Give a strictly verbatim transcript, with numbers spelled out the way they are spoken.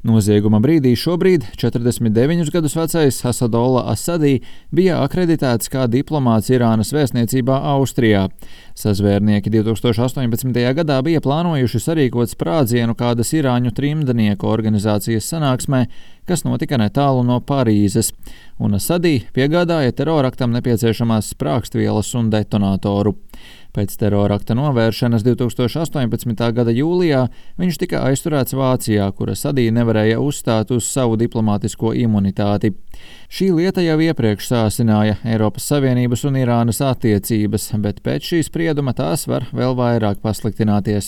Nozieguma brīdī šobrīd četrdesmit deviņus gadus vecais Asadolla Asadī bija akreditēts kā diplomāts Irānas vēstniecībā Austrijā. Sazvērnieki divtūkstoš astoņpadsmitajā gadā bija plānojuši sarīkot sprādzienu kādas irāņu trimdnieku organizācijas sanāksmē, kas notika netālu no Parīzes, un Asadī piegādāja teroraktam nepieciešamās sprāgstvielas un detonatoru. Pēc terorakta novēršanas divtūkstoš astoņpadsmitā gada jūlijā viņš tika aizturēts Vācijā, kur Asadī nevarēja uzstāt uz savu diplomātisko imunitāti. Šī lieta jau iepriekš sāsināja Eiropas Savienības un Irānas attiecības, bet pēc šī sprieduma tās var vēl vairāk pasliktināties.